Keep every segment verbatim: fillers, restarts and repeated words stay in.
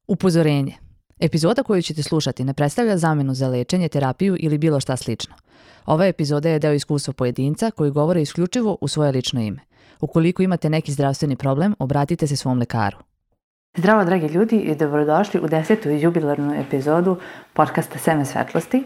Upozorenje. Epizoda koju ćete slušati ne predstavlja zamenu za lečenje, terapiju ili bilo šta slično. Ova epizoda je deo iskustva pojedinca koji govore isključivo u svoje lično ime. Ukoliko imate neki zdravstveni problem, obratite se svom lekaru. Zdravo dragi ljudi i dobrodošli u desetu jubilarnu epizodu podcasta Seme svetlosti.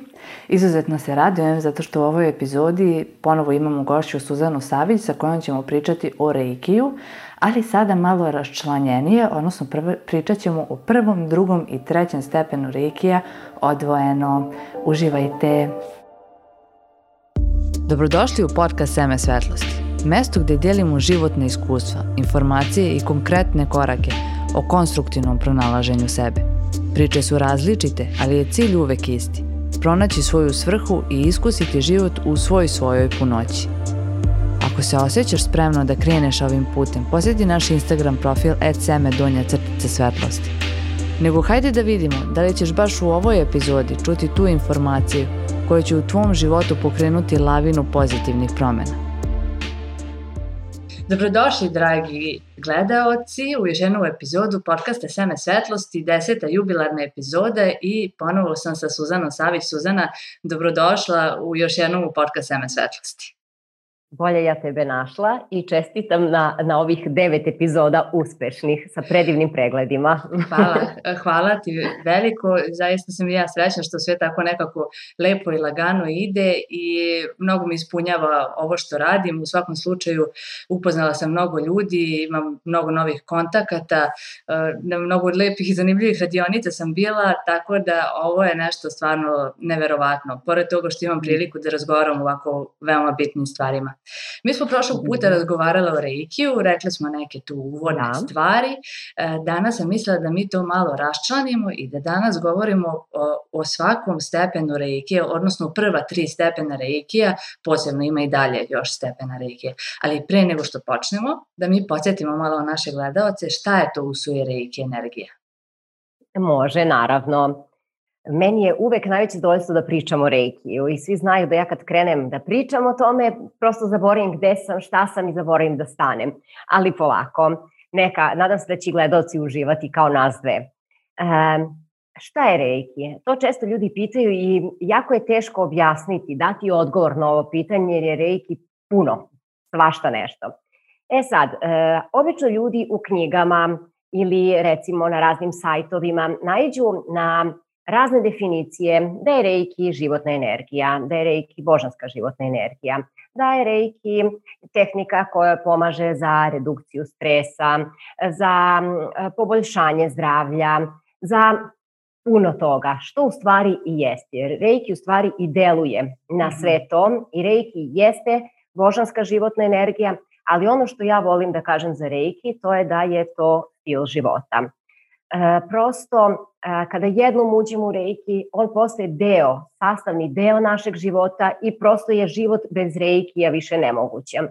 Izuzetno se radujem zato što u ovoj epizodi ponovo imamo gošću Suzanu Savić sa kojom ćemo pričati o reikiju, ali sada malo raščlanjenije, odnosno prvo, pričat ćemo o prvom, drugom i trećem stepenu reikija odvojeno. Uživajte! Dobrodošli u podcast Seme svetlosti, mesto gdje dijelimo životne iskustva, informacije i konkretne korake o konstruktivnom pronalaženju sebe. Priče su različite, ali je cilj uvek isti. Pronaći svoju svrhu i iskusiti život u svoj svojoj punoći. Ako se osjećaš spremno da kreneš ovim putem, posjeti naš Instagram profil et seme donja crtica svetlosti. Nego hajde da vidimo da li ćeš baš u ovoj epizodi čuti tu informaciju koja će u tvom životu pokrenuti lavinu pozitivnih promjena. Dobrodošli, dragi gledaoci, u još jednu epizodu podcasta Seme svetlosti, deseta jubilarna epizoda i ponovo sam sa Suzanom Savić. Suzana, dobrodošla u još jednu podcast Seme svetlosti. Bolje ja tebe našla i čestitam na, na ovih devet epizoda uspešnih sa predivnim pregledima. Hvala, hvala ti veliko. Zaista sam i ja srećna što sve tako nekako lepo i lagano ide i mnogo mi ispunjava ovo što radim. U svakom slučaju upoznala sam mnogo ljudi, imam mnogo novih kontakata, na mnogo lepih i zanimljivih radionica sam bila, tako da ovo je nešto stvarno neverovatno. Pored toga što imam priliku da razgovaram o ovako veoma bitnim stvarima. Mi smo prošlog puta razgovarali o reikiju, rekli smo neke tu uvodne da. stvari. Danas sam mislila da mi to malo raščlanimo i da danas govorimo o, o svakom stepenu reikija, odnosno prva tri stepena reikija, posebno ima i dalje još stepena reikija. Ali pre nego što počnemo, da mi podsjetimo malo naše gledaoce šta je to usuje reiki energija. Može, naravno. Meni je uvek najveće zadovoljstvo da pričam o reikiju i svi znaju da ja kad krenem da pričam o tome, prosto zaboravim gde sam, šta sam i zaboravim da stanem. Ali polako, neka, nadam se da će gledalci uživati kao nas dve. E, šta je reiki? To često ljudi pitaju i jako je teško objasniti, dati odgovor na ovo pitanje jer je reiki puno, svašta nešto. E sad, e, obično ljudi u knjigama ili recimo na raznim sajtovima naiđu na razne definicije, da je reiki životna energija, da je reiki božanska životna energija, da je reiki tehnika koja pomaže za redukciju stresa, za poboljšanje zdravlja, za puno toga, što u stvari i jeste. Jer reiki u stvari i deluje na sve to i reiki jeste božanska životna energija, ali ono što ja volim da kažem za reiki, to je da je to stil života. E, prosto, e, kada jednom uđemo u reiki, on postaje deo, sastavni deo našeg života i prosto je život bez reikija više nemoguće. E,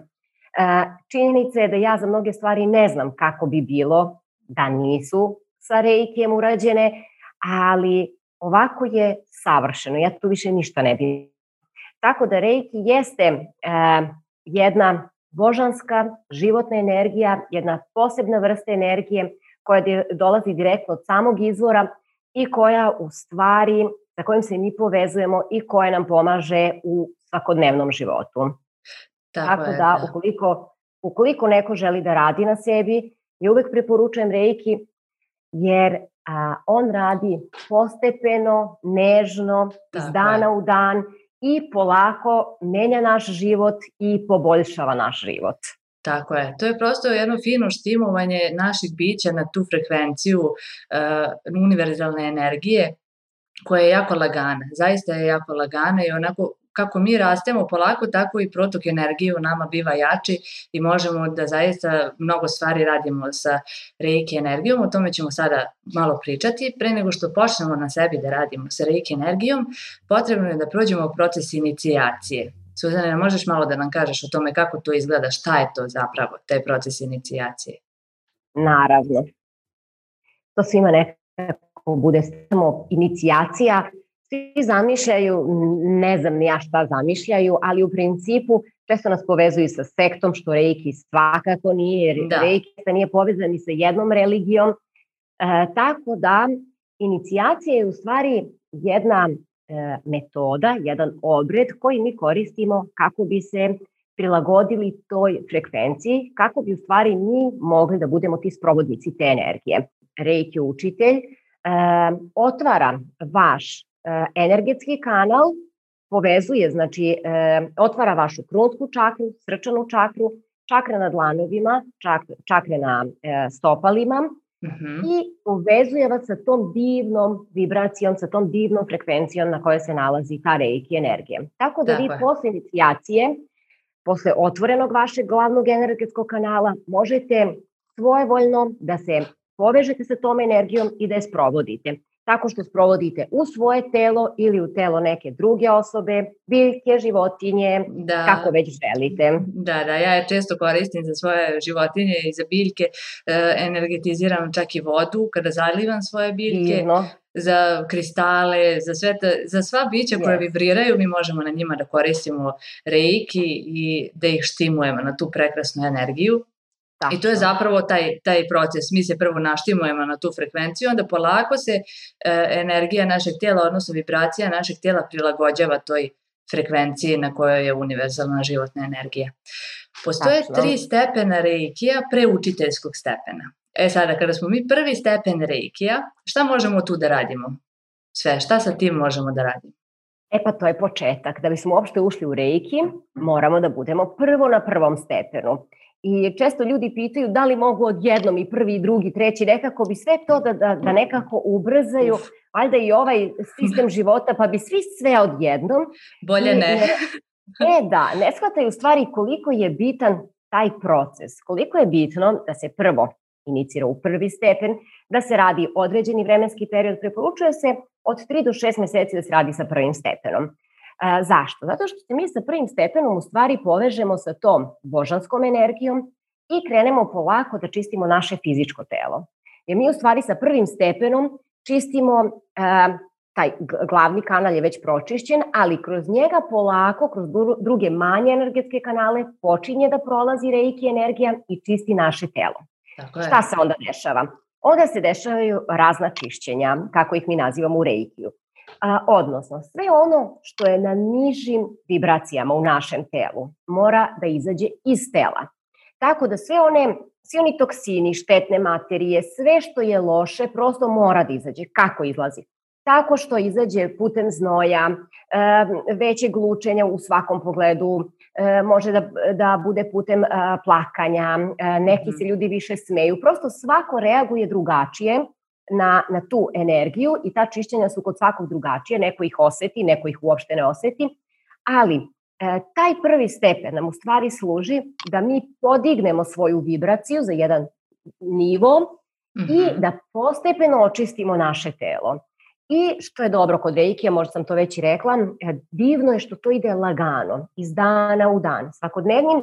činjenica je da ja za mnoge stvari ne znam kako bi bilo da nisu sa reikijem urađene, ali ovako je savršeno, ja tu više ništa ne bih. Tako da reiki jeste e, jedna božanska životna energija, jedna posebna vrsta energije koja dolazi direktno od samog izvora i koja u stvari, sa kojim se mi povezujemo i koja nam pomaže u svakodnevnom životu. Tako, Tako da, da. Ukoliko, ukoliko neko želi da radi na sebi, ja uvek preporučujem reiki, jer a, on radi postepeno, nežno, Tako iz dana je. u dan i polako menja naš život i poboljšava naš život. Tako je. To je prosto jedno fino štimovanje naših bića na tu frekvenciju uh, univerzalne energije koja je jako lagana. Zaista je jako lagana i onako kako mi rastemo polako, tako i protok energije u nama biva jači i možemo da zaista mnogo stvari radimo sa reiki energijom. O tome ćemo sada malo pričati. Pre nego što počnemo na sebi da radimo sa reiki energijom, potrebno je da prođemo proces inicijacije. Suzana, možeš malo da nam kažeš o tome kako to izgleda, šta je to zapravo, taj proces inicijacije? Naravno. To svima nekako bude samo inicijacija. Svi zamišljaju, ne znam ni ja šta zamišljaju, ali u principu često nas povezuju sa sektom, što reiki svakako nije, jer da. reiki nije povezan ni sa jednom religijom. tako da inicijacija je u stvari jedna e, metoda, jedan obred koji mi koristimo kako bi se prilagodili toj frekvenciji, kako bi u stvari mi mogli da budemo ti sprovodnici te energije. Reiki učitelj e, otvara vaš e, energetski kanal, povezuje, znači e, otvara vašu krunsku čakru, srčanu čakru, čakre na dlanovima, čak, čakre na e, stopalima, mm-hmm. i povezuje vas sa tom divnom vibracijom, sa tom divnom frekvencijom na kojoj se nalazi ta reiki energija. Tako da vi posle inicijacije, posle otvorenog vašeg glavnog energetskog kanala, možete svojevoljno da se povežete sa tom energijom i da je sprovodite. Tako što sprovodite u svoje telo ili u telo neke druge osobe, biljke, životinje, da, kako već želite. Da, da, ja je često koristim za svoje životinje i za biljke, e, energetiziram čak i vodu kada zalivam svoje biljke. Divno. Za kristale, za, sve ta, za sva bića koje yes. vibriraju, mi možemo na njima da koristimo reiki i da ih štimujemo na tu prekrasnu energiju. Tako. I to je zapravo taj, taj proces. Mi se prvo naštimujemo na tu frekvenciju, onda polako se e, energija našeg tijela, odnosno vibracija našeg tijela prilagođava toj frekvenciji na kojoj je univerzalna životna energija. Postoje Tačno. tri stepena reikija pre učiteljskog stepena. E sada, kada smo mi prvi stepen reikija, šta možemo tu da radimo? Sve, šta sa tim možemo da radimo? E pa to je početak. Da bismo uopšte ušli u reiki, moramo da budemo prvo na prvom stepenu. I često ljudi pitaju da li mogu odjednom i prvi, i drugi, treći, nekako bi sve to da, da, da nekako ubrzaju, valjda i ovaj sistem života, pa bi svi sve odjednom. Bolje ne. Ne, da, ne shvataju stvari koliko je bitan taj proces, koliko je bitno da se prvo inicira u prvi stepen, da se radi određeni vremenski period, preporučuje se od tri do šest meseci da se radi sa prvim stepenom. A, zašto? Zato što se mi sa prvim stepenom u stvari povežemo sa tom božanskom energijom i krenemo polako da čistimo naše fizičko telo. Jer mi u stvari sa prvim stepenom čistimo, a, taj glavni kanal je već pročišćen, ali kroz njega polako, kroz druge manje energetske kanale počinje da prolazi reiki energija i čisti naše telo. Šta se onda dešava? Onda se dešavaju razna čišćenja, kako ih mi nazivamo u reikiju. A, odnosno, sve ono što je na nižim vibracijama u našem telu mora da izađe iz tela. Tako da sve one, svi oni toksini, štetne materije, sve što je loše prosto mora da izađe. Kako izlazi? Tako što izađe putem znoja, većeg lučenja u svakom pogledu, može da, da bude putem plakanja, neki se ljudi više smeju. Prosto svako reaguje drugačije na, na tu energiju i ta čišćenja su kod svakog drugačije. Neko ih oseti, neko ih uopšte ne oseti. Ali taj prvi stepen nam u stvari služi da mi podignemo svoju vibraciju za jedan nivo mm-hmm. i da postepeno očistimo naše telo. I što je dobro kod reikija, možda sam to već i rekla, divno je što to ide lagano, iz dana u dan. Svakodnevnim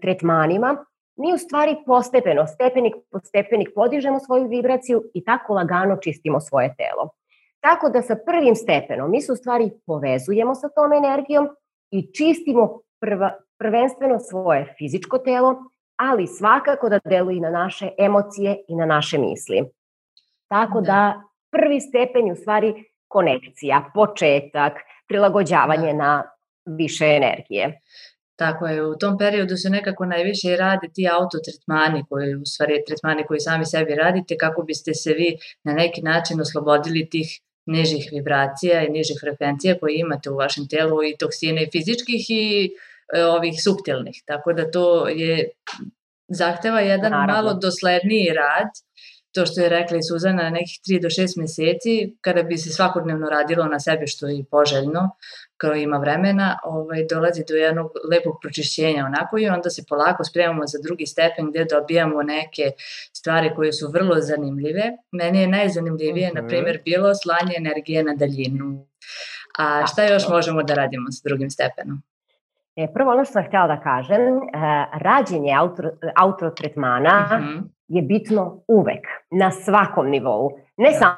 tretmanima mi u stvari postepeno, stepenik po stepenik podižemo svoju vibraciju i tako lagano čistimo svoje telo. Tako da sa prvim stepenom mi se u stvari povezujemo sa tom energijom i čistimo prva, prvenstveno svoje fizičko telo, ali svakako da deluje i na naše emocije i na naše misli. Tako da, da prvi stepen je u stvari konekcija, početak, prilagođavanje da. na više energije. Tako je, u tom periodu se nekako najviše rade ti autotretmani, koji, u stvari tretmani koji sami sebi radite, kako biste se vi na neki način oslobodili tih nižih vibracija i nižih frekvencija koje imate u vašem telu, i toksine i fizičkih i e, ovih suptilnih. Tako da to je, zahteva jedan Naravno. malo dosledniji rad. To što je rekla i Suzana, nekih tri do šest meseci, kada bi se svakodnevno radilo na sebi, što je poželjno, kao ima vremena, ovaj, dolazi do jednog lepog pročišćenja onako, i onda se polako spremamo za drugi stepen gde dobijamo neke stvari koje su vrlo zanimljive. Meni je najzanimljivije, uh-huh. na primjer, bilo slanje energije na daljinu. A šta još možemo da radimo sa drugim stepenom? E, prvo ono što sam htjela da kažem, uh, rađenje auto, autotretmana uh-huh. je bitno uvek, na svakom nivou. Ne da. samo,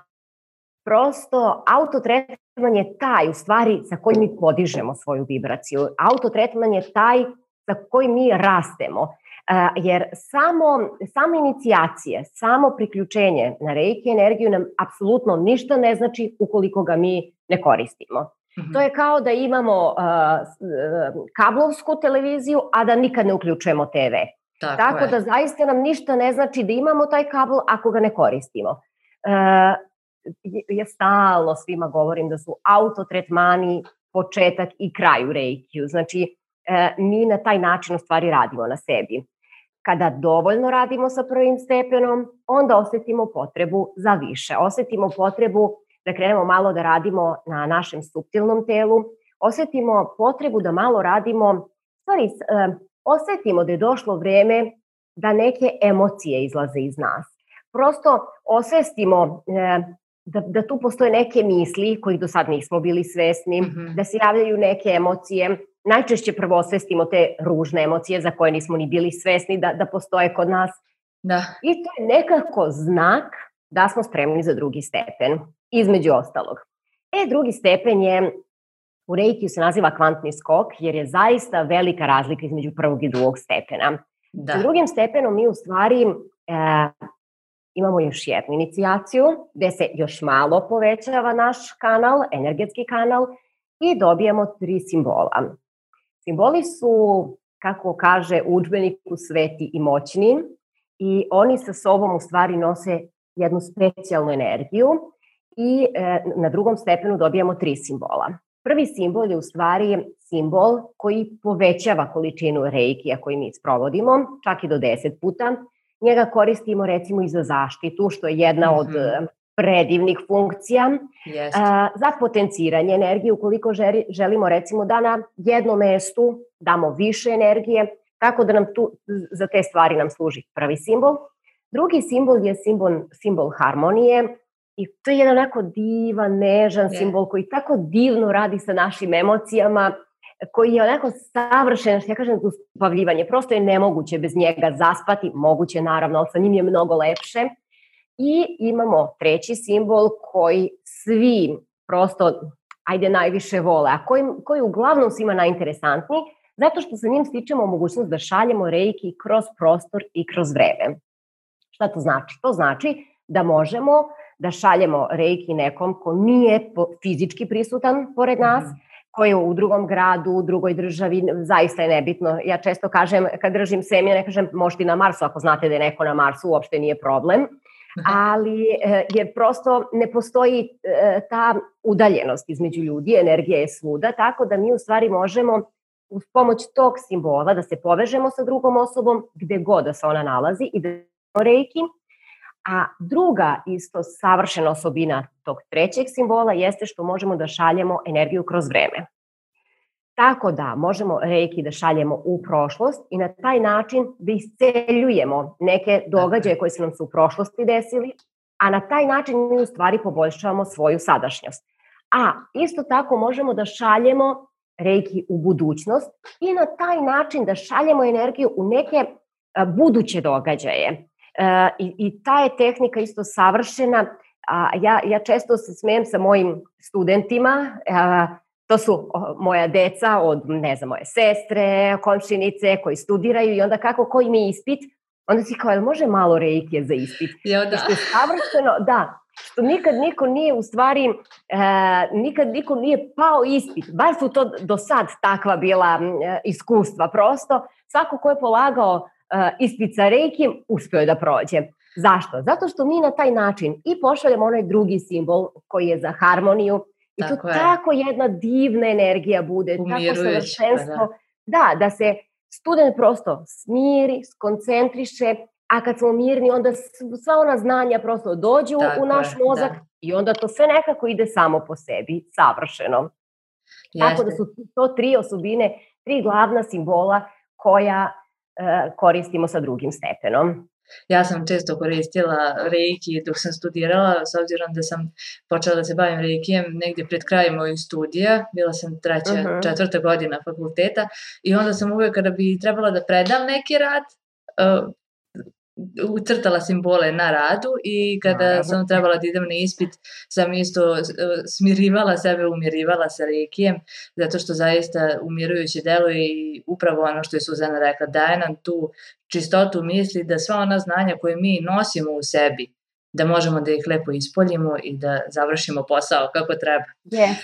prosto autotretman je taj u stvari sa kojim mi podižemo svoju vibraciju. Autotretman je taj sa kojim mi rastemo. jer samo, samo inicijacije, samo priključenje na reiki energiju nam apsolutno ništa ne znači ukoliko ga mi ne koristimo. Mm-hmm. To je kao da imamo uh, kablovsku televiziju, a da nikad ne uključujemo te ve. Tako, Tako da zaista nam ništa ne znači da imamo taj kabel ako ga ne koristimo. Uh, ja stalno svima govorim da su autotretmani početak i kraj u reikiju. Znači, uh, mi na taj način u stvari radimo na sebi. Kada dovoljno radimo sa prvim stepenom, onda osetimo potrebu za više. Osetimo potrebu da krenemo malo da radimo na našem suptilnom telu. Osetimo potrebu da malo radimo, stvari, uh, osetimo da je došlo vreme da neke emocije izlaze iz nas. Prosto osvestimo e, da, da tu postoje neke misli kojih do sad nismo bili svesni, mm-hmm. da se javljaju neke emocije. Najčešće prvo osvestimo te ružne emocije za koje nismo ni bili svesni da, da postoje kod nas. Da. I to je nekako znak da smo spremni za drugi stepen, između ostalog. E, drugi stepen je, u reikiju se naziva kvantni skok, jer je zaista velika razlika između prvog i drugog stepena. Da. Sa drugim stepenom mi u stvari e, imamo još jednu inicijaciju, gde se još malo povećava naš kanal, energetski kanal, i dobijemo tri simbola. Simboli su, kako kaže u udžbeniku, sveti i moćni, i oni sa sobom u stvari nose jednu specijalnu energiju, i e, na drugom stepenu dobijamo tri simbola. Prvi simbol je u stvari simbol koji povećava količinu reikija koji mi sprovodimo, čak i do deset puta. Njega koristimo recimo i za zaštitu, što je jedna mm-hmm. od predivnih funkcija. Yes. A, za potenciranje energije, ukoliko želi, želimo recimo da na jednom mestu damo više energije, tako da nam tu za te stvari nam služi prvi simbol. Drugi simbol je simbol, simbol harmonije. I to je jedan onako divan, nežan yeah. simbol koji tako divno radi sa našim emocijama, koji je onako savršen, što ja kažem, uspavljivanje. Prosto je nemoguće bez njega zaspati, moguće naravno, ali sa njim je mnogo lepše. I imamo treći simbol koji svi prosto, ajde, najviše vole, a koji, koji uglavnom svima najinteresantniji, zato što sa njim stičemo mogućnost da šaljemo reiki kroz prostor i kroz vreme. Šta to znači? To znači da možemo da šaljemo reiki nekom ko nije fizički prisutan pored nas, koji je u drugom gradu, u drugoj državi, zaista je nebitno. Ja često kažem, kad držim semija, ne kažem možete na Marsu, ako znate da je neko na Marsu, uopšte nije problem, ali jer prosto ne postoji ta udaljenost između ljudi, energija je svuda, tako da mi u stvari možemo uz pomoć tog simbola da se povežemo sa drugom osobom gde god da se ona nalazi i da reiki. A druga isto savršena osobina tog trećeg simbola jeste što možemo da šaljemo energiju kroz vreme. Tako da možemo reiki da šaljemo u prošlost i na taj način da isceljujemo neke događaje koje su nam se u prošlosti desili, a na taj način mi u stvari poboljšavamo svoju sadašnjost. A isto tako možemo da šaljemo reiki u budućnost i na taj način da šaljemo energiju u neke buduće događaje. Uh, i, i ta je tehnika isto savršena. Uh, ja, ja često se smijem sa mojim studentima, uh, to su uh, moja deca od, ne znam, moje sestre, komšinice koji studiraju i onda kako koji mi ispit, onda si kao, može malo reikije za ispit? Jo, da. Što je savršeno, da, što nikad niko nije u stvari, uh, nikad niko nije pao ispit, bar su to do sad takva bila uh, iskustva prosto, svako ko je polagao Uh, ispit sa reikijem, uspeo je da prođe. Zašto? Zato što mi na taj način i pošaljemo onaj drugi simbol koji je za harmoniju i tako to je. Tako jedna divna energija bude, tako savršenstvo. Da, da se student prosto smiri, skoncentriše, a kad smo mirni onda sva ona znanja prosto dođu tako u naš je, mozak da. I onda to sve nekako ide samo po sebi, savršeno. Jeste. Tako da su to tri osobine, tri glavna simbola koja koristimo sa drugim stepenom. Ja sam često koristila reiki dok sam studirala, s obzirom da sam počela da se bavim reikijem negdje pred krajem mojih studija, bila sam treća, uh-huh. četvrta godina fakulteta i onda sam uvijek kada bi trebala da predam neki rad, uh, ucrtala simbole na radu i kada Naravno. sam trebala da idem na ispit, sam isto smirivala sebe, umirivala sa reikijem, zato što zaista umirujuće deluje i upravo ono što je Suzana rekla, daje nam tu čistotu misli da sva ona znanja koje mi nosimo u sebi, da možemo da ih lepo ispoljimo i da završimo posao kako treba. Yes.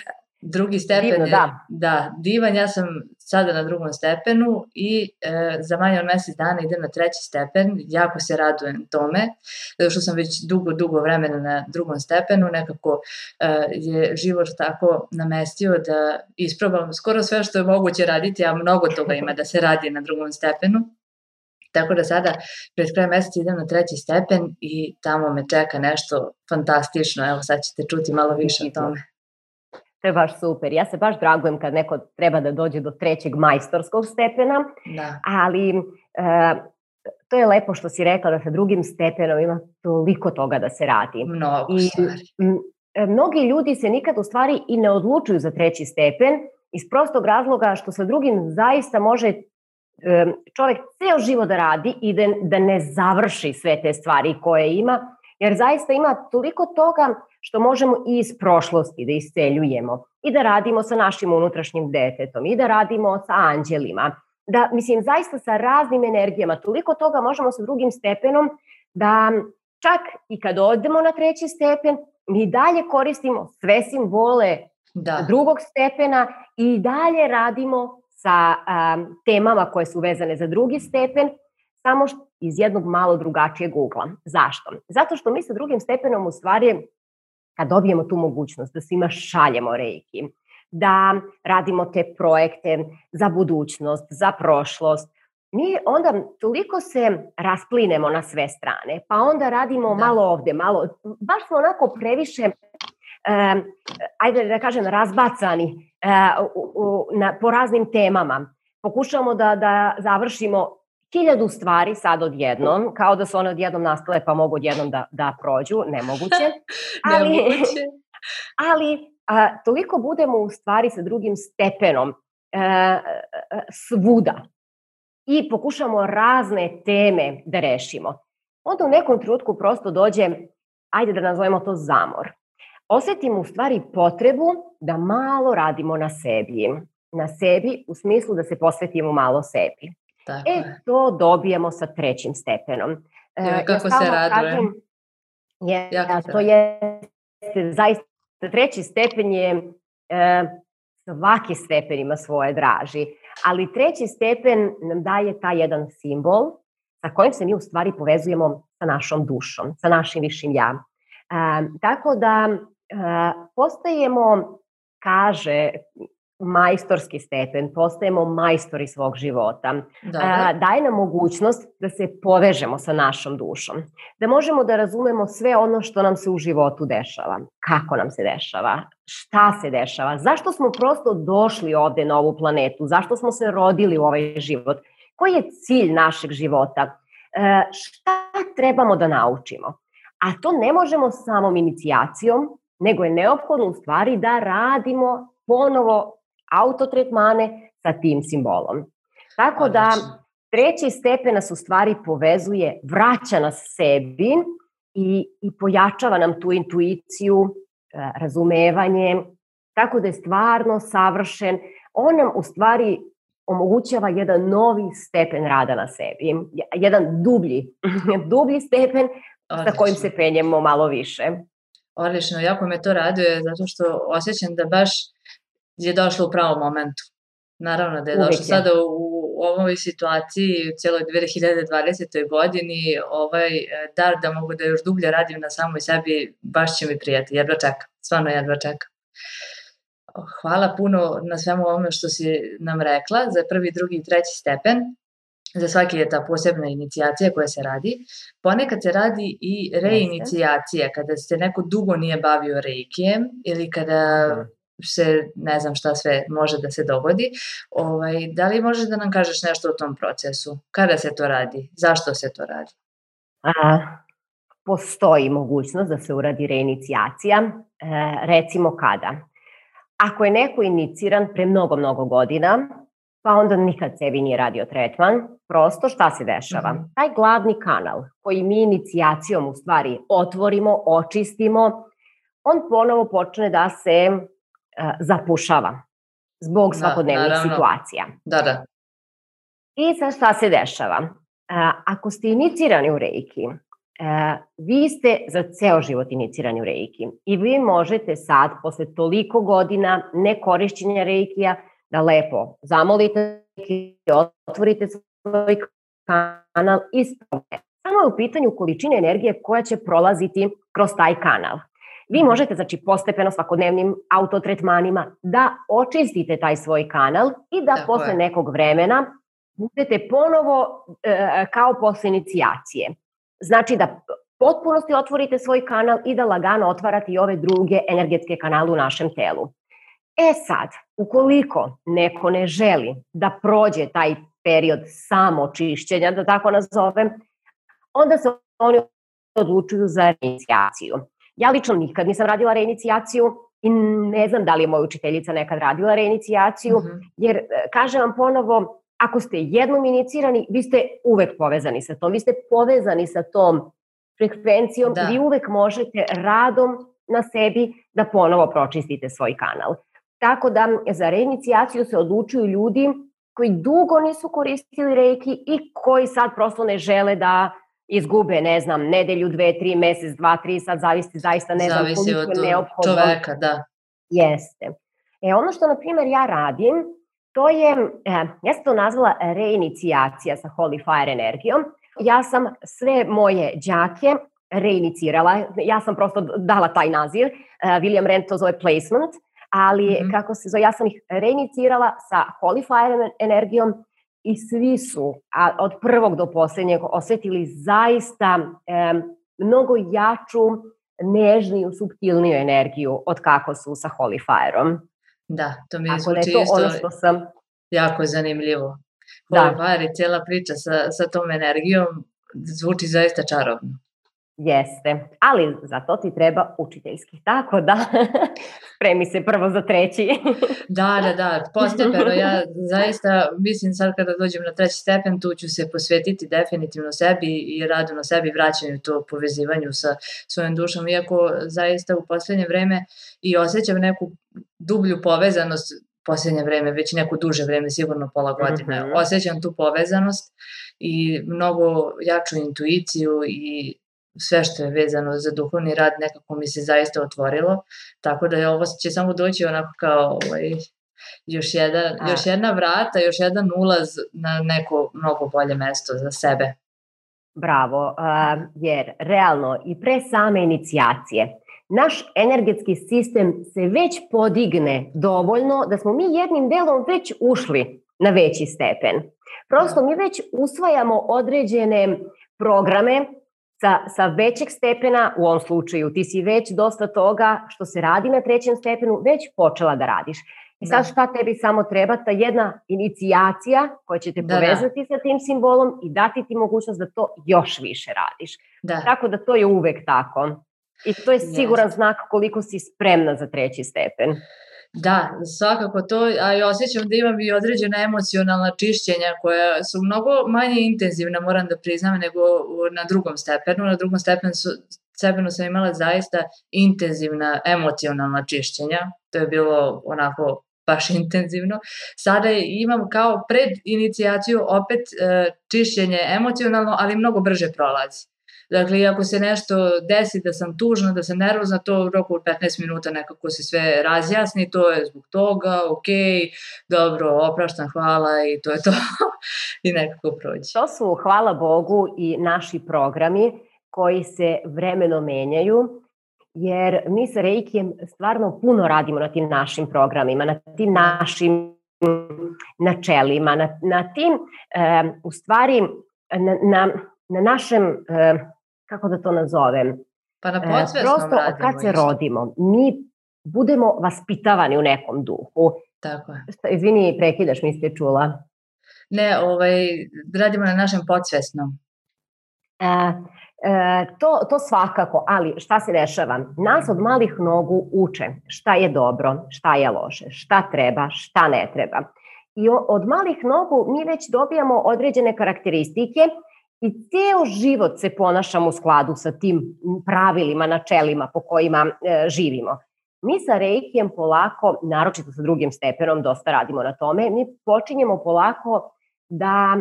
Drugi stepen Divno, je, da. da, divan, ja sam sada na drugom stepenu i e, za manje od mesec dana idem na treći stepen, jako se radujem tome, zato što sam već dugo, dugo vremena na drugom stepenu, nekako e, je život tako namestio da isprobam skoro sve što je moguće raditi, a mnogo toga ima da se radi na drugom stepenu. Tako da sada pred kraj meseca idem na treći stepen i tamo me čeka nešto fantastično, evo sad ćete čuti malo više o tome. To je baš super. Ja se baš dragujem kad neko treba da dođe do trećeg majstorskog stepena, da. ali e, to je lepo što si rekla da sa drugim stepenom ima toliko toga da se radi. Mnogo stvari. I, mnogi ljudi se nikad u stvari i ne odlučuju za treći stepen iz prostog razloga što sa drugim zaista može e, čovjek ceo život da radi i da, da ne završi sve te stvari koje ima, jer zaista ima toliko toga što možemo i iz prošlosti da isceljujemo i da radimo sa našim unutrašnjim detetom i da radimo sa anđelima. Da, mislim, zaista sa raznim energijama, toliko toga možemo sa drugim stepenom da čak i kad odemo na treći stepen, mi dalje koristimo sve simbole da. drugog stepena i dalje radimo sa um, temama koje su vezane za drugi stepen, samo iz jednog malo drugačijeg ugla. Zašto? Zato što mi sa drugim stepenom u stvari, kad dobijemo tu mogućnost da svima šaljemo reiki, da radimo te projekte za budućnost, za prošlost, mi onda toliko se rasplinemo na sve strane, pa onda radimo da. malo ovde, malo, baš smo onako previše, eh, ajde da kažem, razbacani eh, u, u, na, po raznim temama. Pokušamo da, da završimo hiljadu stvari sad odjednom, kao da su one odjednom nastale pa mogu odjednom da, da prođu, nemoguće. Ali, nemoguće. ali a, toliko budemo u stvari sa drugim stepenom a, a, svuda i pokušamo razne teme da rešimo. Onda u nekom trenutku prosto dođe, ajde da nazovemo to zamor. Osetimo u stvari potrebu da malo radimo na sebi. Na sebi u smislu da se posvetimo malo sebi. Tako e, je. to dobijemo sa trećim stepenom. Ja, kako ja se radujem. Je, ja, to je zaista, treći stepen je, e, svaki stepen ima svoje draži, ali treći stepen nam daje taj jedan simbol sa kojim se mi u stvari povezujemo sa našom dušom, sa našim višim ja. E, tako da e, postajemo, kaže, majstorski stepen, postajemo majstori svog života. A, daje nam mogućnost da se povežemo sa našom dušom, da možemo da razumemo sve ono što nam se u životu dešava, kako nam se dešava, šta se dešava, zašto smo prosto došli ovde na ovu planetu, zašto smo se rodili u ovaj život, koji je cilj našeg života, a, šta trebamo da naučimo. A to ne možemo samom inicijacijom, nego je neophodno u stvari da radimo ponovo autotretmane sa tim simbolom. Tako da treći stepen nas u stvari povezuje, vraća nas sebi i, i pojačava nam tu intuiciju, razumevanje, tako da je stvarno savršen. On nam u stvari omogućava jedan novi stepen rada na sebi, jedan dublji, dublji stepen sa kojim se penjemo malo više. Odlično, jako me to raduje zato što osjećam da baš je došlo u pravom momentu. Naravno da je Uvijek došlo je. sada u, u ovoj situaciji, u cijeloj dve hiljade dvadesetoj godini, ovaj dar da mogu da još dublje radim na samoj sebi, baš će mi prijati, jedva čekam, stvarno jedva čekam. Hvala puno na svemu ovome što si nam rekla, za prvi, drugi i treći stepen. Za svaki je ta posebna inicijacija koja se radi. Ponekad se radi i reinicijacija, kada se neko dugo nije bavio reikijem ili kada se, ne znam šta sve može da se dogodi. Ovaj, da li možeš da nam kažeš nešto o tom procesu? Kada se to radi? Zašto se to radi? A, postoji mogućnost da se uradi reinicijacija. E, recimo kada? Ako je neko iniciran pre mnogo, mnogo godina, pa onda nikad sebi nije radio tretman. Prosto šta se dešava? Mhm. Taj glavni kanal koji mi inicijacijom u stvari otvorimo, očistimo, on ponovo počne da se uh, zapušava zbog Da, svakodnevnih naravno. situacija. Da, da. I sad šta se dešava? Uh, ako ste inicirani u reiki, uh, vi ste za ceo život inicirani u reiki i vi možete sad, posle toliko godina nekorišćenja reikija, da lepo zamolite i otvorite svoj kanal i spavite. Samo je u pitanju količine energije koja će prolaziti kroz taj kanal. Vi možete, znači, postepeno svakodnevnim autotretmanima da očistite taj svoj kanal i da Tako posle je. nekog vremena budete ponovo e, kao posle inicijacije. Znači da potpunosti otvorite svoj kanal i da lagano otvarate i ove druge energetske kanale u našem telu. E sad, ukoliko neko ne želi da prođe taj period samočišćenja, da tako nazovem, onda se oni odlučuju za reinicijaciju. Ja lično nikad nisam radila reinicijaciju i ne znam da li je moja učiteljica nekad radila reinicijaciju, mm-hmm. jer kažem vam ponovo, ako ste jednom inicirani, vi ste uvek povezani sa tom, vi ste povezani sa tom frekvencijom, Da. vi uvek možete radom na sebi da ponovo pročistite svoj kanal. Tako da za reinicijaciju se odlučuju ljudi koji dugo nisu koristili reiki i koji sad prosto ne žele da izgube, ne znam, nedelju, dve, tri, mesec, dva, tri, sad zavisi zaista ne znam Zavisi koliko od je neophodno. čoveka, da. Jeste. E, ono što, na primjer, ja radim, to je, eh, ja sam to nazvala reinicijacija sa Holy Fire energijom. Ja sam sve moje đake reinicirala, ja sam prosto dala taj naziv, uh, William Rand to zove placement, ali mm-hmm. kako se zove, ja sam ih reinicirala sa Holy Fire energijom i svi su a, od prvog do posljednjeg osjetili zaista e, mnogo jaču, nežniju, suptilniju energiju od kako su sa Holy Fire-om. Da, to mi Ako zvuči to isto ono što sam... jako zanimljivo. Da. Holy Fire i cijela priča sa, sa tom energijom zvuči zaista čarobno. Jeste, ali za to ti treba učiteljski, tako da spremi se prvo za treći. Da, da, da, postepeno, ja zaista mislim sad kada dođem na treći stepen, tu ću se posvetiti definitivno sebi i radu na sebi, vraćanju to povezivanju sa svojom dušom, iako zaista u poslednje vreme i osjećam neku dublju povezanost, poslednje vreme, već neko duže vreme, sigurno pola godine, mm-hmm. osjećam tu povezanost i mnogo jaču intuiciju i sve što je vezano za duhovni rad nekako mi se zaista otvorilo, tako da je ovo će samo doći onako kao ovaj, još, jedan, još jedna vrata, još jedan ulaz na neko mnogo bolje mesto za sebe. Bravo, uh, jer realno i pre same inicijacije naš energetski sistem se već podigne dovoljno da smo mi jednim delom već ušli na veći stepen. Prosto mi već usvajamo određene programe Sa, sa većeg stepena, u ovom slučaju ti si već dosta toga što se radi na trećem stepenu već počela da radiš. I sad šta tebi samo treba? Ta jedna inicijacija koja će te da, povezati da. sa tim simbolom i dati ti mogućnost da to još više radiš. Da. Tako da to je uvek tako. I to je siguran yes. znak koliko si spremna za treći stepen. Da, svakako to, a i osjećam da imam i određena emocionalna čišćenja koja su mnogo manje intenzivna, moram da priznam, nego na drugom stepenu. Na drugom stepenu, su, stepenu sam imala zaista intenzivna emocionalna čišćenja, to je bilo onako baš intenzivno. Sada imam kao pred inicijaciju opet e, čišćenje emocionalno, ali mnogo brže prolazi. Dakle, ako se nešto desi da sam tužna, da sam nervozna, to u roku od petnaest minuta nekako se sve razjasni, to je zbog toga, ok, dobro, opraštam, hvala i to je to i nekako prođe. To su, hvala Bogu, i naši programi koji se vremeno menjaju, jer mi sa Reikijem stvarno puno radimo na tim našim programima, na tim našim načelima, na, na tim, e, u stvari, na, na, na našem... E, kako da to nazovem, pa na podsvesnom prosto od kad se isto. rodimo, mi budemo vaspitavani u nekom duhu. Tako je. Izvini, prekidaš, mi ste čula. Ne, ovaj, radimo na našem podsvesnom. E, e, to, to svakako, ali šta se dešava? Nas od malih nogu uče šta je dobro, šta je loše, šta treba, šta ne treba. i od malih nogu mi već dobijamo određene karakteristike i ceo život se ponašamo u skladu sa tim pravilima, načelima po kojima e, živimo. Mi sa reikijem polako, naročito sa drugim stepenom, dosta radimo na tome, mi počinjemo polako da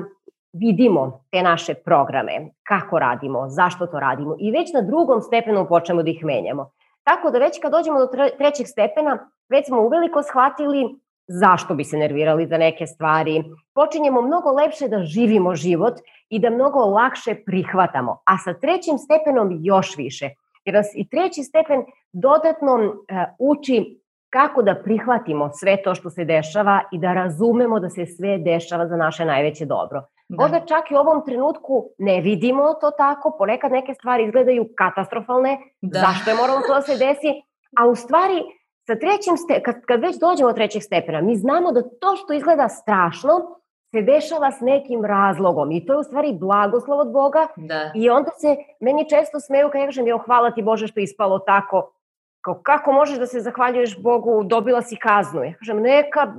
vidimo te naše programe, kako radimo, zašto to radimo i već na drugom stepenu počnemo da ih menjamo. Tako da već kad dođemo do trećeg stepena, već smo uveliko shvatili zašto bi se nervirali za neke stvari, počinjemo mnogo lepše da živimo život i da mnogo lakše prihvatamo, a sa trećim stepenom još više. Jer nas i treći stepen dodatno uh, uči kako da prihvatimo sve to što se dešava i da razumemo da se sve dešava za naše najveće dobro. Da. Možda čak i u ovom trenutku ne vidimo to tako, ponekad neke stvari izgledaju katastrofalne, da. Zašto je moralo to da se desi, a u stvari sa trećim ste, kad, kad već dođemo do trećeg stepena, mi znamo da to što izgleda strašno se dešava s nekim razlogom i to je u stvari blagoslov od Boga. Da. I onda se meni često smeju kad ja kažem, jo, hvala ti Bože što je ispalo tako, kao, kako možeš da se zahvaljuješ Bogu, dobila si kaznu. Ja kažem, neka,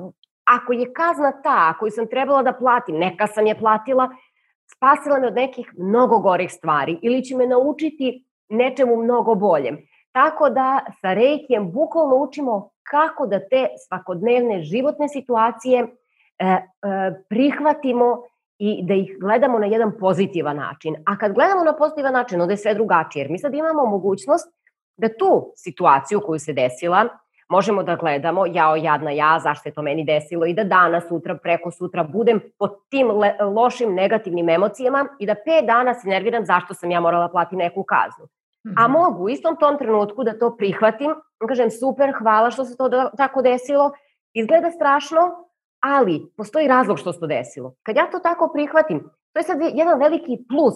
ako je kazna ta koju sam trebala da platim, neka sam je platila, spasila me od nekih mnogo gorih stvari ili će me naučiti nečemu mnogo boljem. Tako da sa reikijem bukvalno učimo kako da te svakodnevne životne situacije e, e, prihvatimo i da ih gledamo na jedan pozitivan način. A kad gledamo na pozitivan način, onda je sve drugačije. Jer mi sad imamo mogućnost da tu situaciju koju se desila možemo da gledamo, jao, jadna ja, zašto je to meni desilo i da danas, sutra, preko sutra budem pod tim le, lošim negativnim emocijama i da pet dana se nerviram zašto sam ja morala platiti neku kaznu. A mogu u istom tom trenutku da to prihvatim, kažem super, hvala što se to da, tako desilo, izgleda strašno, ali postoji razlog što se to desilo. Kad ja to tako prihvatim, to je sad jedan veliki plus,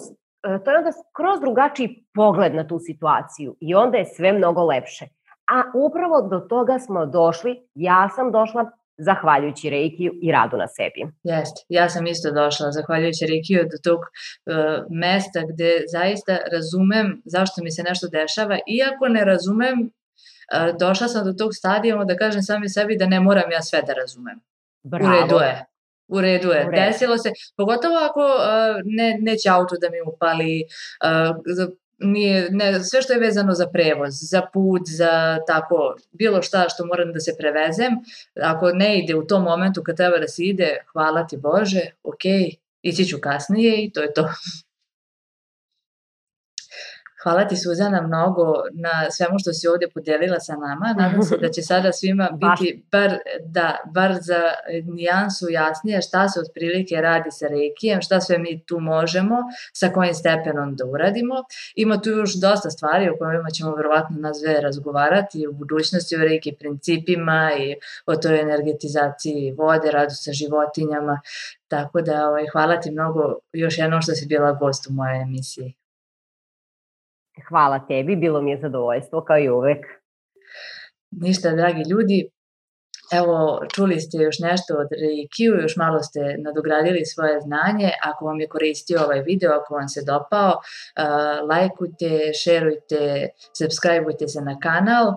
to je onda skroz drugačiji pogled na tu situaciju i onda je sve mnogo lepše. A upravo do toga smo došli, ja sam došla zahvaljujući reikiju i radu na sebi. Jeste, ja sam isto došla zahvaljujući reikiju do tog uh, mesta gde zaista razumem zašto mi se nešto dešava, iako ne razumem, uh, došla sam do tog stadijuma da kažem sami sebi da ne moram ja sve da razumem. Bravo. U redu je. U redu je, desilo se, pogotovo ako uh, ne, neće auto da mi upali, uh, nije, ne, sve što je vezano za prevoz, za put, za tako, bilo šta što moram da se prevezem, ako ne ide u tom momentu kad treba da se ide, hvala ti Bože, ok, ići ću kasnije i to je to. Hvala ti Suzana mnogo na svemu što si ovdje podelila sa nama. Nadam se da će sada svima biti bar, da, bar za nijansu jasnije šta se otprilike radi sa reikijem, šta sve mi tu možemo, sa kojim stepenom da uradimo. Ima tu još dosta stvari o kojima ćemo verovatno nas dve razgovarati u budućnosti, o reiki principima i o toj energetizaciji vode, radu sa životinjama. Tako da ovaj, hvala ti mnogo još jednom što si bila gost u mojoj emisiji. Hvala tebi, bilo mi je zadovoljstvo kao i uvek. Ništa, dragi ljudi, evo čuli ste još nešto od reikiju, još malo ste nadogradili svoje znanje. Ako vam je koristio ovaj video, ako vam se dopao, uh, lajkujte, šerujte, subscribeujte se na kanal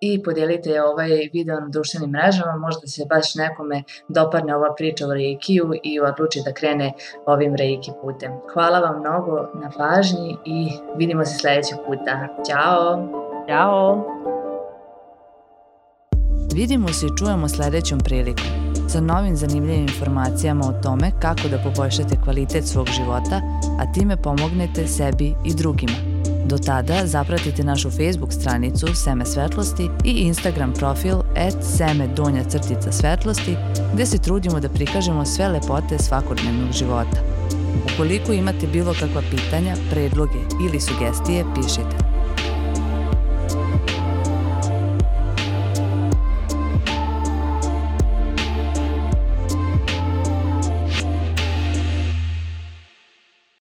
i podelite ovaj video na društvenim mrežama, možda se baš nekome dopadne ova priča o reikiju i odluči da krene ovim reiki putem. Hvala vam mnogo na pažnji i vidimo se sljedećeg puta. Ćao! Ćao! Vidimo se i čujemo sljedećom prilikom sa novim zanimljivim informacijama o tome kako da poboljšate kvalitet svog života, a time pomognete sebi i drugima. Do tada zapratite našu Facebook stranicu Seme svetlosti i Instagram profil at seme donja crtica svetlosti gde se trudimo da prikažemo sve lepote svakodnevnog života. Ukoliko imate bilo kakva pitanja, predloge ili sugestije, pišite.